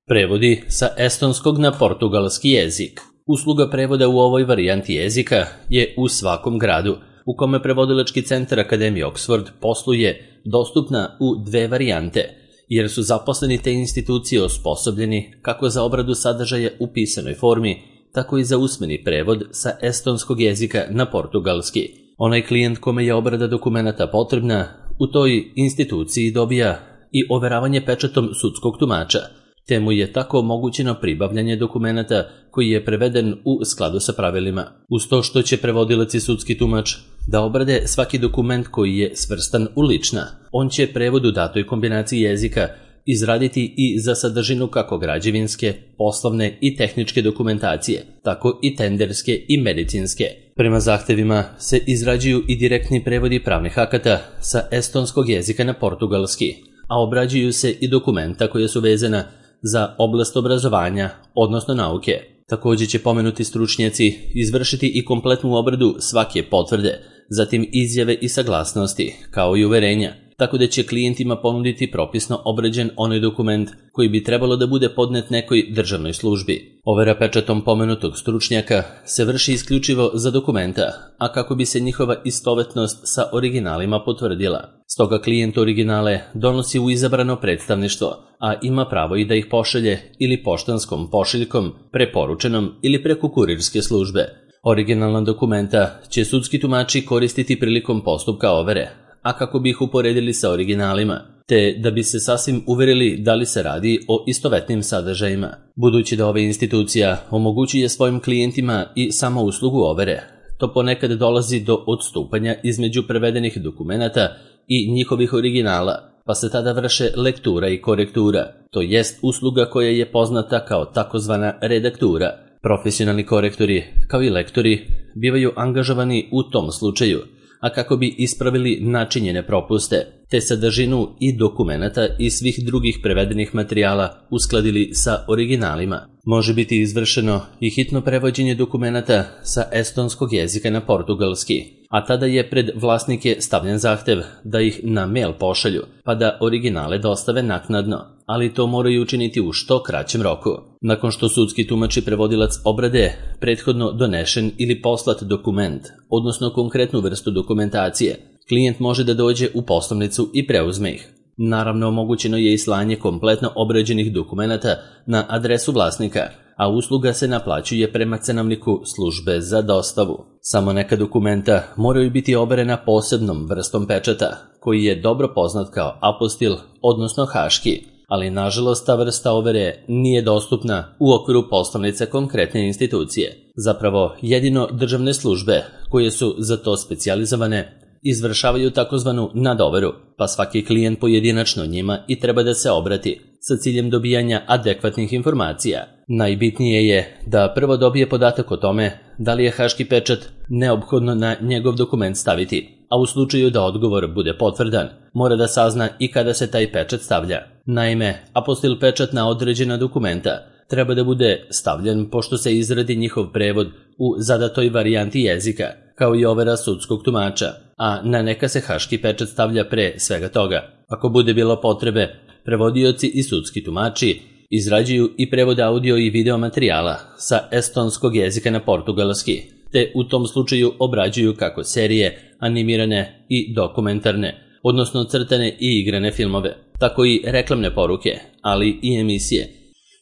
Prevodi sa estonskog na portugalski jezik. Usluga prevoda u ovoj varijanti jezika je u svakom gradu u kome prevodilački centar Akademije Oxford posluje dostupna u dve varijante, jer su zaposleni te institucije osposobljeni kako za obradu sadržaja u pisanoj formi, tako i za usmeni prevod sa estonskog jezika na portugalski. Onaj klijent kome je obrada dokumenata potrebna u toj instituciji dobija i overavanje pečatom sudskog tumača, te mu je tako omogućeno pribavljanje dokumenata koji je preveden u skladu sa pravilima. Uz to što će prevodilac i sudski tumač da obrade svaki dokument koji je svrstan u lična, on će prevod u datoj kombinaciji jezika izraditi i za sadržinu kako građevinske, poslovne i tehničke dokumentacije, tako i tenderske i medicinske. Prema zahtevima se izrađuju i direktni prevodi pravnih akata sa estonskog jezika na portugalski, a obrađuju se i dokumenta koja su vezana za oblast obrazovanja, odnosno nauke. Također će pomenuti stručnjaci izvršiti i kompletnu obradu svake potvrde, zatim izjave i saglasnosti, kao i uverenja, tako da će klijentima ponuditi propisno obrađen onaj dokument koji bi trebalo da bude podnet nekoj državnoj službi. Overa pečatom pomenutog stručnjaka se vrši isključivo za dokumenta, a kako bi se njihova istovetnost sa originalima potvrdila. Stoga klijent originale donosi u izabrano predstavništvo, a ima pravo i da ih pošalje ili poštanskom pošiljkom, preporučenom ili preko kurirske službe. Originalna dokumenta će sudski tumači koristiti prilikom postupka overe, a kako bi ih uporedili sa originalima, te da bi se sasvim uverili da li se radi o istovetnim sadržajima. Budući da ova institucija omogućuje svojim klijentima i samo uslugu overe, to ponekad dolazi do odstupanja između prevedenih dokumenata i njihovih originala, pa se tada vrše lektura i korektura, to jest usluga koja je poznata kao takozvana redaktura. Profesionalni korektori, kao i lektori, bivaju angažovani u tom slučaju, a kako bi ispravili načinjene propuste, te sadržinu i dokumenata i svih drugih prevedenih materijala uskladili sa originalima. Može biti izvršeno i hitno prevođenje dokumenata sa estonskog jezika na portugalski, a tada je pred vlasnike stavljen zahtev da ih na mail pošalju, pa da originale dostave naknadno, ali to moraju učiniti u što kraćem roku. Nakon što sudski tumač i prevodilac obrade prethodno donešen ili poslat dokument, odnosno konkretnu vrstu dokumentacije, klijent može da dođe u poslovnicu i preuzme ih. Naravno, omogućeno je i slanje kompletno obrađenih dokumenata na adresu vlasnika, a usluga se naplaćuje prema cenovniku službe za dostavu. Samo neka dokumenta moraju biti overena posebnom vrstom pečata, koji je dobro poznat kao apostil, odnosno haški, ali nažalost ta vrsta overe nije dostupna u okviru poslovnice konkretne institucije. Zapravo, jedino državne službe koje su za to specijalizovane izvršavaju takozvanu nadoveru, pa svaki klijent pojedinačno njima i treba da se obrati sa ciljem dobijanja adekvatnih informacija. Najbitnije je da prvo dobije podatak o tome da li je haški pečat neophodno na njegov dokument staviti, a u slučaju da odgovor bude potvrdan, mora da sazna i kada se taj pečat stavlja. Naime, apostil pečat na određena dokumenta treba da bude stavljen pošto se izradi njihov prevod u zadatoj varijanti jezika, kao i overa sudskog tumača, a na neka se haški pečat stavlja pre svega toga. Ako bude bilo potrebe, prevodioci i sudski tumači izrađuju i prevod audio i video materijala sa estonskog jezika na portugalski, te u tom slučaju obrađuju kako serije, animirane i dokumentarne, odnosno crtane i igrane filmove, tako i reklamne poruke, ali i emisije,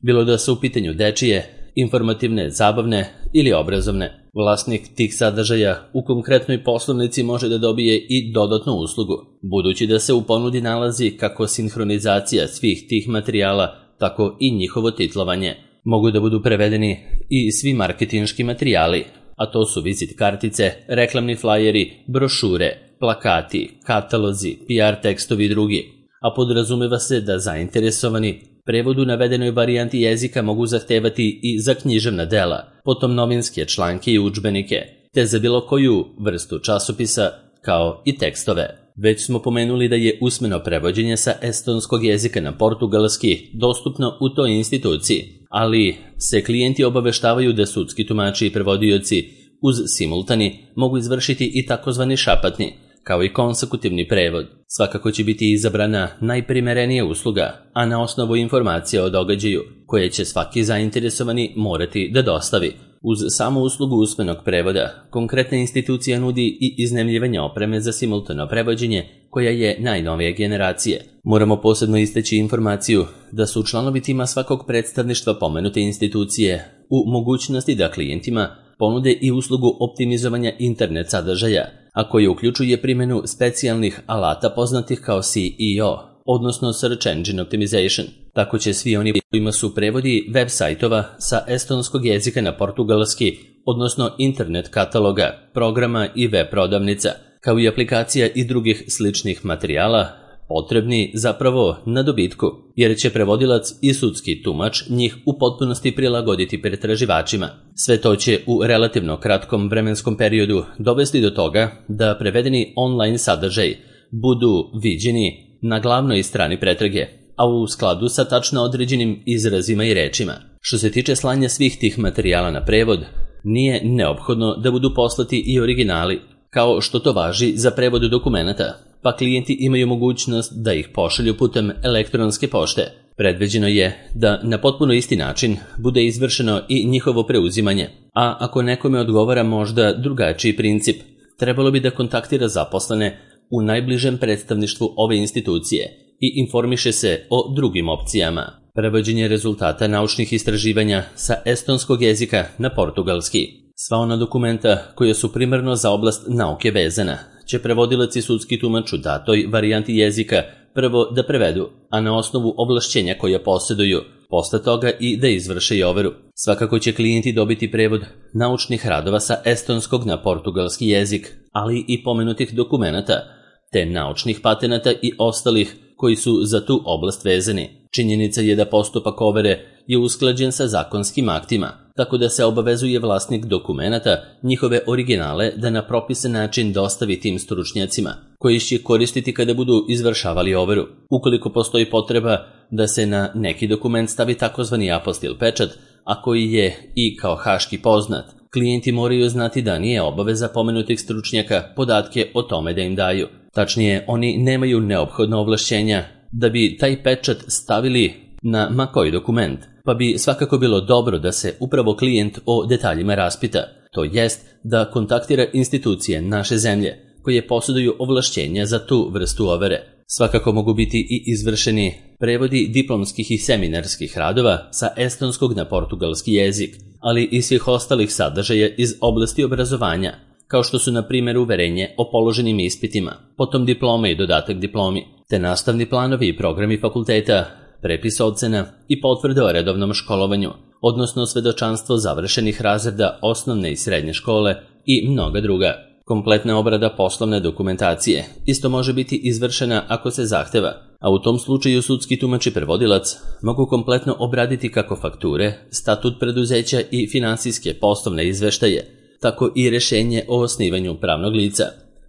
bilo da su u pitanju dečije, informativne, zabavne ili obrazovne. Vlasnik tih sadržaja u konkretnoj poslovnici može da dobije i dodatnu uslugu, budući da se u ponudi nalazi kako sinhronizacija svih tih materijala, tako i njihovo titlovanje. Mogu da budu prevedeni i svi marketinški materijali, a to su vizit kartice, reklamni flajeri, brošure, plakati, katalozi, PR tekstovi i drugi, a podrazumeva se da zainteresovani prevod u navedenoj varijanti jezika mogu zahtevati i za književna dela, potom novinske članke i udžbenike, te za bilo koju vrstu časopisa, kao i tekstove. Već smo pomenuli da je usmeno prevođenje sa estonskog jezika na portugalski dostupno u toj instituciji, ali se klijenti obaveštavaju da sudski tumači i prevodioci uz simultani mogu izvršiti i takozvani šapatni, kao i konsekutivni prevod. Svakako će biti izabrana najprimerenija usluga, a na osnovu informacija o događaju, koje će svaki zainteresovani morati da dostavi. Uz samu uslugu usmenog prevoda, konkretna institucija nudi i iznajmljivanje opreme za simultano prevođenje, koja je najnovije generacije. Moramo posebno istaći informaciju da su članovi tima svakog predstavništva pomenute institucije u mogućnosti da klijentima ponude i uslugu optimizovanja internet sadržaja, a koje uključuje primjenu specijalnih alata poznatih kao SEO, odnosno Search Engine Optimization. Tako će svi oni kojima su prevodi web sajtova sa estonskog jezika na portugalski, odnosno internet kataloga, programa i web prodavnica, kao i aplikacija i drugih sličnih materijala, potrebni zapravo na dobitku, jer će prevodilac i sudski tumač njih u potpunosti prilagoditi pretraživačima. Sve to će u relativno kratkom vremenskom periodu dovesti do toga da prevedeni online sadržaj budu viđeni na glavnoj strani pretrage, a u skladu sa tačno određenim izrazima i rečima. Što se tiče slanja svih tih materijala na prevod, nije neophodno da budu poslati i originali, kao što to važi za prevod dokumenata, pa klijenti imaju mogućnost da ih pošalju putem elektronske pošte. Predviđeno je da na potpuno isti način bude izvršeno i njihovo preuzimanje, a ako nekome odgovara možda drugačiji princip, trebalo bi da kontaktira zaposlene u najbližem predstavništvu ove institucije i informiše se o drugim opcijama. Prevođenje rezultata naučnih istraživanja sa estonskog jezika na portugalski. Sva ona dokumenta koja su primarno za oblast nauke vezana će prevodilac i sudski tumač u datoj varijanti jezika prvo da prevedu, a na osnovu ovlašćenja koja posjeduju, posle toga i da izvrše i overu. Svakako će klijenti dobiti prevod naučnih radova sa estonskog na portugalski jezik, ali i pomenutih dokumenata, te naučnih patenata i ostalih koji su za tu oblast vezani. Činjenica je da postupak overe je usklađen sa zakonskim aktima, tako da se obavezuje vlasnik dokumenata njihove originale da na propisan način dostavi tim stručnjacima, koji će koristiti kada budu izvršavali overu. Ukoliko postoji potreba da se na neki dokument stavi takozvani apostil pečat, a koji je i kao haški poznat, klijenti moraju znati da nije obaveza pomenutih stručnjaka podatke o tome da im daju. Tačnije, oni nemaju neophodno ovlašćenja da bi taj pečat stavili na ma koji dokument, pa bi svakako bilo dobro da se upravo klijent o detaljima raspita, to jest da kontaktira institucije naše zemlje koje posjeduju ovlašćenja za tu vrstu overe. Svakako mogu biti i izvršeni prevodi diplomskih i seminarskih radova sa estonskog na portugalski jezik, ali i svih ostalih sadržaja iz oblasti obrazovanja, kao što su na primjer uverenje o položenim ispitima, potom diplome i dodatak diplomi, te nastavni planovi i programi fakulteta, prepis ocena i potvrde o redovnom školovanju, odnosno svedočanstvo završenih razreda osnovne i srednje škole i mnoga druga. Kompletna obrada poslovne dokumentacije isto može biti izvršena ako se zahteva, a u tom slučaju sudski tumač i prevodilac mogu kompletno obraditi kako fakture, statut preduzeća i finansijske poslovne izveštaje, tako i rješenje o osnivanju pravnog lica,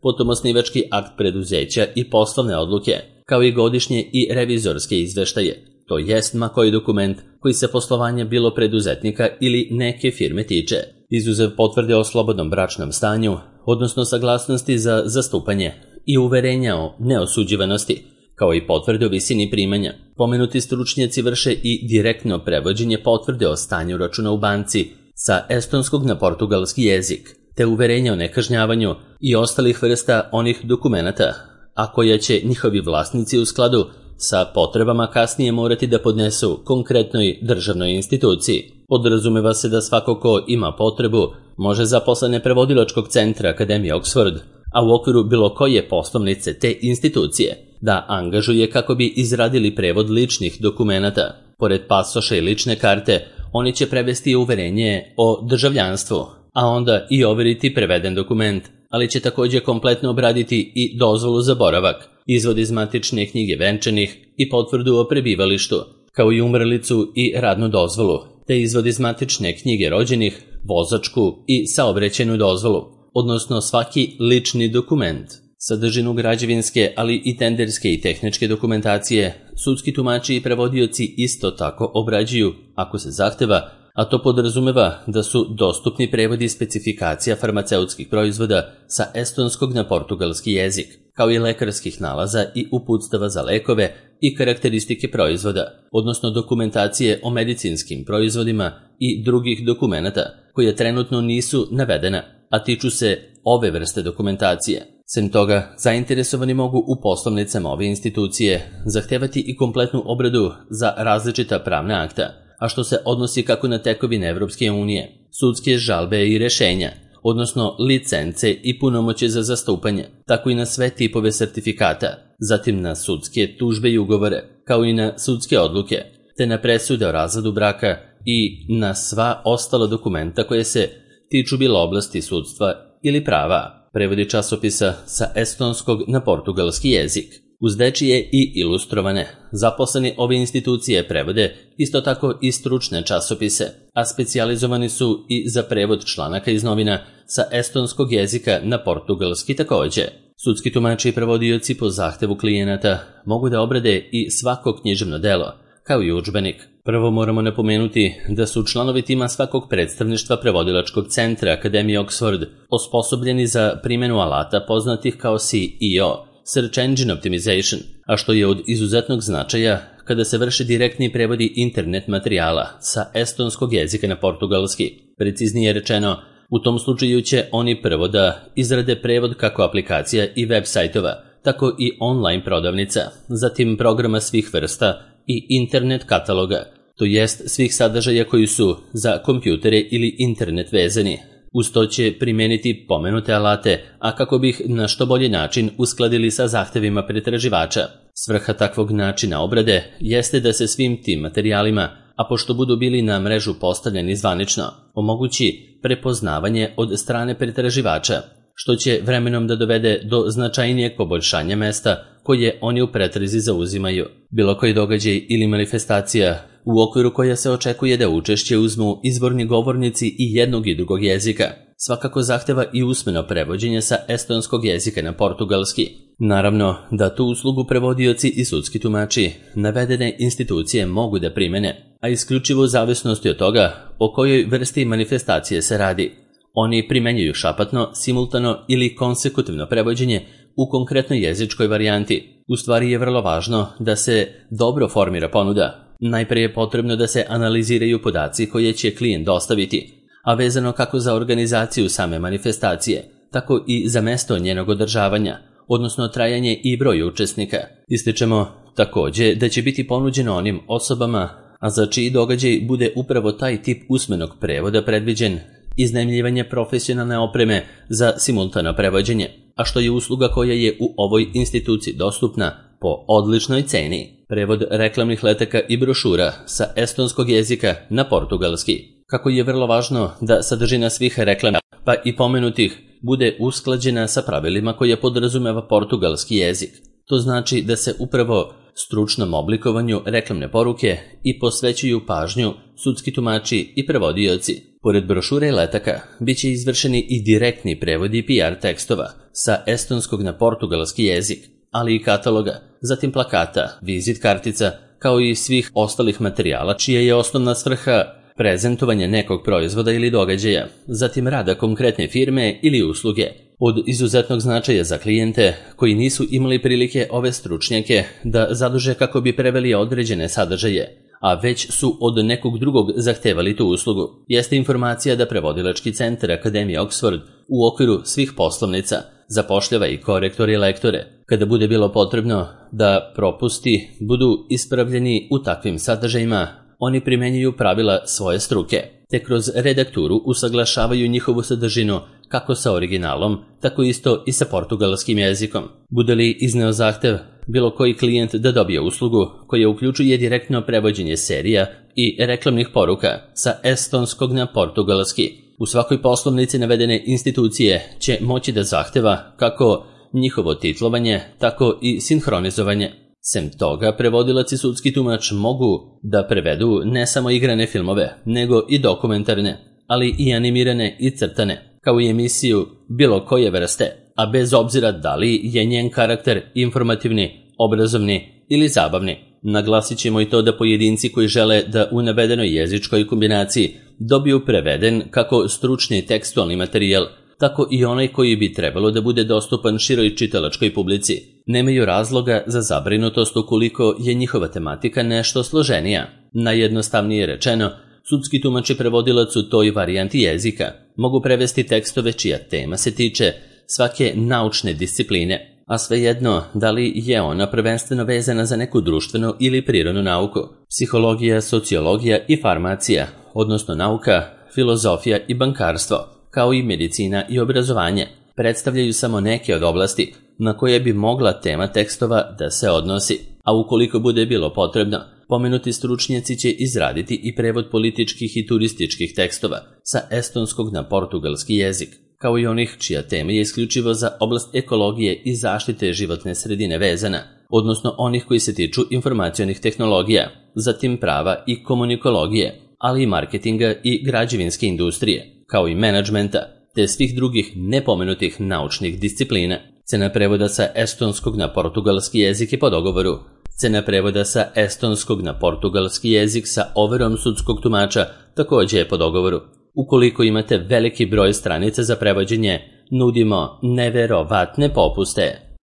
potom osnivački akt preduzeća i poslovne odluke, kao i godišnje i revizorske izveštaje, to jest ma koji dokument koji se poslovanje bilo preduzetnika ili neke firme tiče, izuzev potvrde o slobodnom bračnom stanju, odnosno saglasnosti za zastupanje i uverenja o neosuđivanosti, kao i potvrde o visini primanja. Pomenuti stručnjaci vrše i direktno prevođenje potvrde o stanju računa u banci sa estonskog na portugalski jezik, te uverenja o nekažnjavanju i ostalih vrsta onih dokumenata, a koja će njihovi vlasnici u skladu sa potrebama kasnije morati da podnesu konkretnoj državnoj instituciji. Podrazumeva se da svako ko ima potrebu može zaposlene prevodilačkog centra Akademije Oxford, a u okviru bilo koje poslovnice te institucije, da angažuje kako bi izradili prevod ličnih dokumenata. Pored pasoša i lične karte, oni će prevesti uverenje o državljanstvu, a onda i overiti preveden dokument, ali će također kompletno obraditi i dozvolu za boravak, izvod iz matične knjige venčanih i potvrdu o prebivalištu, kao i umrlicu i radnu dozvolu, te izvod iz matične knjige rođenih, vozačku i saobraćajnu dozvolu, odnosno svaki lični dokument. Sadržinu građevinske, ali i tenderske i tehničke dokumentacije, sudski tumači i prevodioci isto tako obrađuju, ako se zahteva, a to podrazumeva da su dostupni prevodi specifikacija farmaceutskih proizvoda sa estonskog na portugalski jezik, kao i lekarskih nalaza i uputstava za lekove i karakteristike proizvoda, odnosno dokumentacije o medicinskim proizvodima i drugih dokumenata koje trenutno nisu navedena, a tiču se ove vrste dokumentacije. Sem toga, zainteresovani mogu u poslovnicama ove institucije zahtevati i kompletnu obradu za različita pravna akta, a što se odnosi kako na tekovine Evropske unije, sudske žalbe i rešenja, odnosno licence i punomoće za zastupanje, tako i na sve tipove sertifikata, zatim na sudske tužbe i ugovore, kao i na sudske odluke, te na presude o razvodu braka i na sva ostala dokumenta koje se tiču bilo oblasti sudstva ili prava. Prevodi časopisa sa estonskog na portugalski jezik. Uz dečije i ilustrovane, zaposleni ove institucije prevode isto tako i stručne časopise, a specijalizovani su i za prevod članaka iz novina sa estonskog jezika na portugalski takođe. Sudski tumači i prevodioci po zahtevu klijenata mogu da obrade i svako književno delo, kao i udžbenik. Prvo moramo napomenuti da su članovi tima svakog predstavništva prevodilačkog centra Akademije Oxford osposobljeni za primjenu alata poznatih kao SEO, Search Engine Optimization, a što je od izuzetnog značaja kada se vrše direktni prevodi internet materijala sa estonskog jezika na portugalski. Preciznije rečeno, u tom slučaju će oni prvo da izrade prevod kako aplikacija i web sajtova, tako i online prodavnica, zatim programa svih vrsta i internet kataloga, to jest svih sadržaja koji su za kompjutere ili internet vezani. Uz to će primeniti pomenute alate, a kako bi ih na što bolji način uskladili sa zahtevima pretraživača. Svrha takvog načina obrade jeste da se svim tim materijalima, a pošto budu bili na mrežu postavljeni zvanično, omogući prepoznavanje od strane pretraživača, što će vremenom da dovede do značajnijeg poboljšanja mesta koje oni u pretrazi zauzimaju. Bilo koji događaj ili manifestacija u okviru koja se očekuje da učešće uzmu izvorni govornici i jednog i drugog jezika, svakako zahteva i usmeno prevođenje sa estonskog jezika na portugalski. Naravno da tu uslugu prevodioci i sudski tumači navedene institucije mogu da primene, a isključivo u zavisnosti od toga o kojoj vrsti manifestacije se radi. Oni primenjuju šapatno, simultano ili konsekutivno prevođenje u konkretnoj jezičkoj varijanti. U stvari je vrlo važno da se dobro formira ponuda. Najpre je potrebno da se analiziraju podaci koje će klijent dostaviti, a vezano kako za organizaciju same manifestacije, tako i za mesto njenog održavanja, odnosno trajanje i broj učesnika. Ističemo takođe da će biti ponuđeno onim osobama, a za čiji događaj bude upravo taj tip usmenog prevoda predviđen, iznajmljivanje profesionalne opreme za simultano prevođenje, a što je usluga koja je u ovoj instituciji dostupna po odličnoj ceni. Prevod reklamnih letaka i brošura sa estonskog jezika na portugalski. Kako je vrlo važno da sadržina svih reklama, pa i pomenutih, bude usklađena sa pravilima koje podrazumeva portugalski jezik. To znači da se upravo stručnom oblikovanju reklamne poruke i posvećuju pažnju sudski tumači i prevodioci. Pored brošure i letaka, bit će izvršeni i direktni prevodi PR tekstova sa estonskog na portugalski jezik, ali i kataloga, zatim plakata, vizit kartica, kao i svih ostalih materijala čija je osnovna svrha prezentovanje nekog proizvoda ili događaja, zatim rada konkretne firme ili usluge. Od izuzetnog značaja za klijente koji nisu imali prilike ove stručnjake da zaduže kako bi preveli određene sadržaje, a već su od nekog drugog zahtevali tu uslugu, jeste informacija da prevodilački centar Akademije Oxford u okviru svih poslovnica zapošljava i korektore i lektore, kada bude bilo potrebno da propusti budu ispravljeni u takvim sadržajima. Oni primenjuju pravila svoje struke, te kroz redakturu usaglašavaju njihovu sadržinu kako sa originalom, tako isto i sa portugalskim jezikom. Bude li izneo zahtev bilo koji klijent da dobije uslugu koja uključuje direktno prevođenje serija i reklamnih poruka sa estonskog na portugalski, u svakoj poslovnici navedene institucije će moći da zahteva kako njihovo titlovanje, tako i sinhronizovanje. Sem toga, prevodilac i sudski tumač mogu da prevedu ne samo igrane filmove, nego i dokumentarne, ali i animirane i crtane, kao i emisiju bilo koje vrste, a bez obzira da li je njen karakter informativni, obrazovni ili zabavni. Naglasit ćemo i to da pojedinci koji žele da u navedenoj jezičkoj kombinaciji dobiju preveden kako stručni tekstualni materijal, tako i onaj koji bi trebalo da bude dostupan široj čitalačkoj publici, nemaju razloga za zabrinutost ukoliko je njihova tematika nešto složenija. Najjednostavnije rečeno, sudski tumač i prevodilac u toj varijanti jezika mogu prevesti tekstove čija tema se tiče svake naučne discipline, a svejedno da li je ona prvenstveno vezana za neku društvenu ili prirodnu nauku, psihologija, sociologija i farmacija, odnosno nauka, filozofija i bankarstvo, kao i medicina i obrazovanje, predstavljaju samo neke od oblasti na koje bi mogla tema tekstova da se odnosi, a ukoliko bude bilo potrebno, pomenuti stručnjaci će izraditi i prevod političkih i turističkih tekstova sa estonskog na portugalski jezik, kao i onih čija tema je isključivo za oblast ekologije i zaštite životne sredine vezana, odnosno onih koji se tiču informacionih tehnologija, zatim prava i komunikologije, ali i marketinga i građevinske industrije, kao i menadžmenta, te svih drugih nepomenutih naučnih disciplina. Cena prevoda sa estonskog na portugalski jezik je po dogovoru. Cena prevoda sa estonskog na portugalski jezik sa overom sudskog tumača također je po dogovoru. Ukoliko imate veliki broj stranica za prevođenje, nudimo neverovatne popuste.